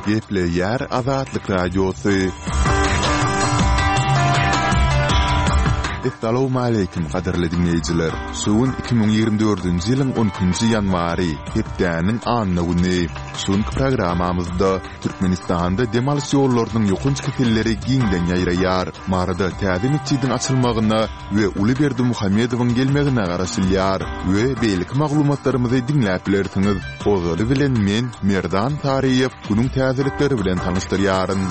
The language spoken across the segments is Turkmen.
Gepleýär Azatlyk Radiosy. Essalawmaleýkim gadyrly diňleýjiler! Şu gün 2024-nji ýylyň on ikinji ýanwary, hepdäniň anna güni. Şu günki programmamyzda Türkmenistanda dem alyş ýollarynyň ýokanç keselleri giňden ýaýraýar. Maryda täze metjidiň açylmagyna we uly Berdimuhamedowyň gelmegine garaşylýar we beýleki maglumatlarymyzy diňläp bilersiňiz. Ozaly bilen men, Merdan Saryýew, günüň täzelikleri bilen tanyşdyrýaryn.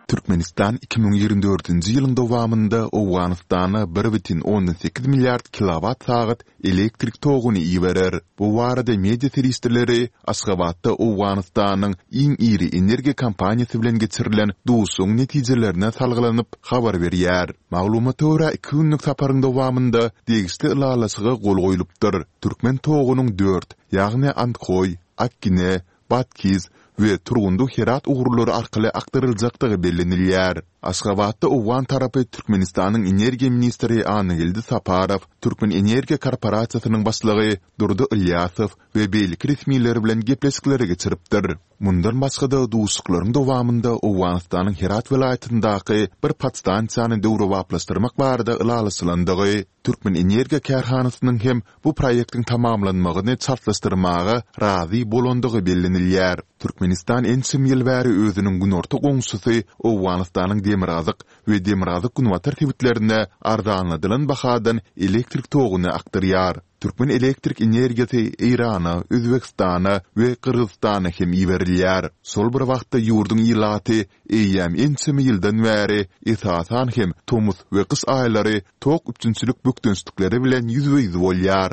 Türkmenistan 2024-nji ýylyň dowamynda Owganystana 1,8 milliard kilowat-sagat elektrik toguny iberer. Bu barada media serişdeleri Aşgabatda Owganystanyň iň iri energiýa kompaniýasy bilen geçirilen duşuşygyň netijelerine salgylanyp habar berýär. Maglumata görä, iki günlük saparyň dowamynda degişli ylalaşyga gol goýlupdyr. Türkmen togunyň dört, ýagny Andhoý, Akgine, Batkiz we Turgundy-Herat ugurlary arkaly akdyryljakdygy bellenilýär. Aşgabatda owgan tarapy Türkmenistanyň energiýa ministri Annageldi Saparow, Türkmenenergiýa korporasiýasynyň başlygy Durdy Ylýasow we beýleki resmiler bilen gepleşikleri geçiripdir. Mundan başga-da, duşuşyklaryň dowamynda Owganystanyň Herat welaýatyndaky bir podstansiýany döwrebaplaşdyrmak barada ylalaşylandygy, Türkmenenergiýa kärhanasynyň hem bu proýektiň tamamlanmagyny çaltlaşdyrmaga razy bolandygy bellenilýär. Türkmenistan ençeme ýyl bäri özüniň günorta goňşusy Owganystanyň demirgazyk we demirgazyk-günbatar sebitlerine arzanladylan bahadan elektrik toguny akdyrýar. Türkmen elektrik energiýasy Eýrana, Özbegistana we Gyrgyzystana hem iberilýär. Şol bir wagtda ýurduň ilaty eýýäm ençeme ýyldan bäri, esasan hem tomus we gyş aýlary tok üpjünçilik bökdençlikleri bilen ýüzbe-ýüz bolýar.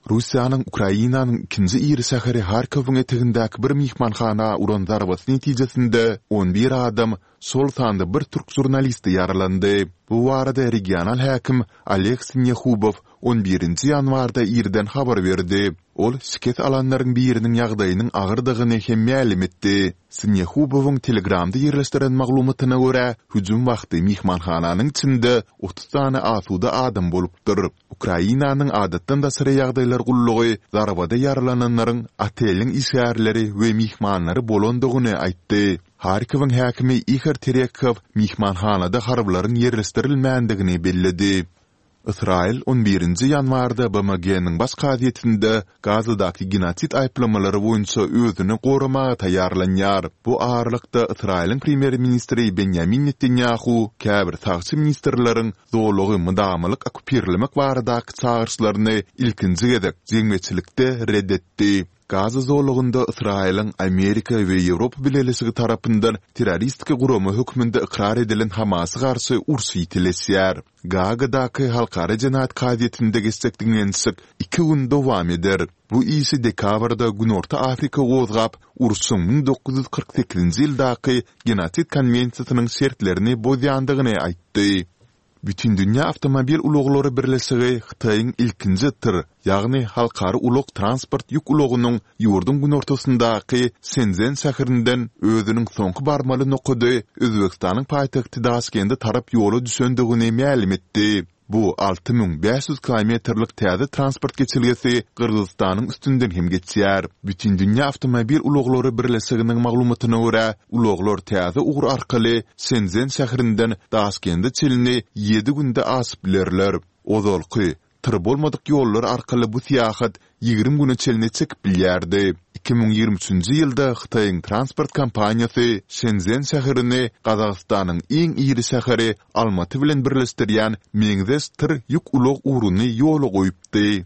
Russiýanyň Ukrainanyň ikinji iri şäheri Harkowyň etegindäki bir myhmanhana uran zarbasy netijesinde on bir adam, şol sanda bir türk žurnalisti ýaralandy. Bu barada regional häkim Oleg Sinehubow on birinji ýanwarda irden habar berdi. Ol şikes alanlaryň biriniň ýagdaýynyň agyrdygyny hem mälim etdi. Sinehubowyň Telegramda ýerleşdiren maglumatyna görä, hüjüm wagty myhmanhananyň içinde 30 sany asuda adam bolupdyr. Ukrainanyň Adatdan daşary ýagdaýlar gullugy zarbada ýaralananlaryň oteliň işgärleri we myhmanlary bolandygyny aýtdy. Harkowyň häkimi Ihor Terekhow myhmanhanada harbylaryň ýerleşdirilmändigini belledi. Ysraýyl on birinji ýanwarda BMG-niň Baş kazyýetinde Gazadaky genosid aýyplamalary boýunça özüni goramaga taýýarlanýar. Bu aralykda, Ysraýylyň premýer-ministri Benýamin Netanýahu käbir sagçy ministrleriň zolagy mydamalyk okkupirlemek baradaky çagyryşlaryny ilkinji gezek jemgyýetçilikde ret etdi. Gaza zolagynda Ysraýylyň Amerika we Ýewropa Bileleşigi tarapyndan terroristik gurama hökmünde ykrar edilen Hamasa garşy uruş ýitileşýär. Gaagadaky Halkara jenaýat kazyýetinde geçjek diňlenişik iki gün dowam eder. Bu işi dekabrda Günorta Afrika gozgap, urşuň 1948-nji ýyldaky Genosid konwensiýasynyň şertlerini bozýandygyny aýtdy. Bütindünýä awtomobil ulaglary birleşigi Hytaýyň ilkinji tyr, ýagny halkara ulag-transport ýük ulagynyň ýurduň günortasyndaky Şençžen şäherinden özüniň soňky barmaly nokady Özbegistanyň paýtagty Daşkende tarap ýola düşendigini mälim etdi. Bu 6500 kilometrlik täze transport geçelgesi Gyrgyzystanyň üstünden hem geçýär. Bütindünýä awtomobil ulaglary birleşiginiň maglumatyna görä, ulaglar täze ugur arkaly Şençžen şäherinden Daşkende çenli ýedi günde aşyp bilerler. Ozalky, tyr bolmadyk ýollar arkaly bu syýahat 20 güne çenli çekip bilýärdi. 2023-nji ýylda Hytaýyň transport kompaniýasy Şençžen şäherini Gazagystanyň iň iri şäheri Almaty bilen birleşdirýän meňzeş tyr ýük ulag ugruny ýola goýupdy.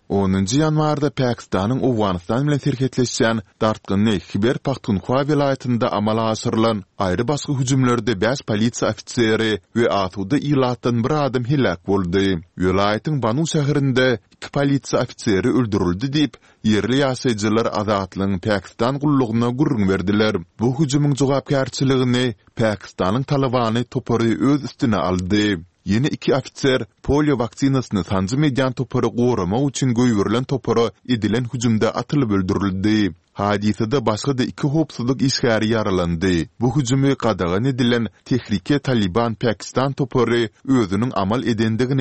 Onunjy ýanwarda Pakistanyň Owganystan bilen serhetleşýän dartgynly Hiber-Pahtunhwa welaýatynda amala aşyrylan aýry-başga hüjümlerde bäş polisiýa ofiseri we asuda ilatdan bir adam heläk boldy. Welaýatyň Banu şäherinde iki polisiýa ofiseri öldürildi diýip, ýerli ýaşaýjylar Azatlygyň Pakistan gullugyna gürrüň berdiler. Bu hüjümiň jogapkärçiligini Pakistanyň Talybany topary öz üstüne aldy. Ýene iki ofiser polio waksinasyny sanjym edýän topary goramak üçin goýberilen topara edilen hüjümde atylyp öldürildi. Hadysada başga-da iki howpsuzlyk işgäri ýaralandy. Bu hüjümi gadagan edilen Tehrike Talyban Pakistan topary özüniň amal edendigini.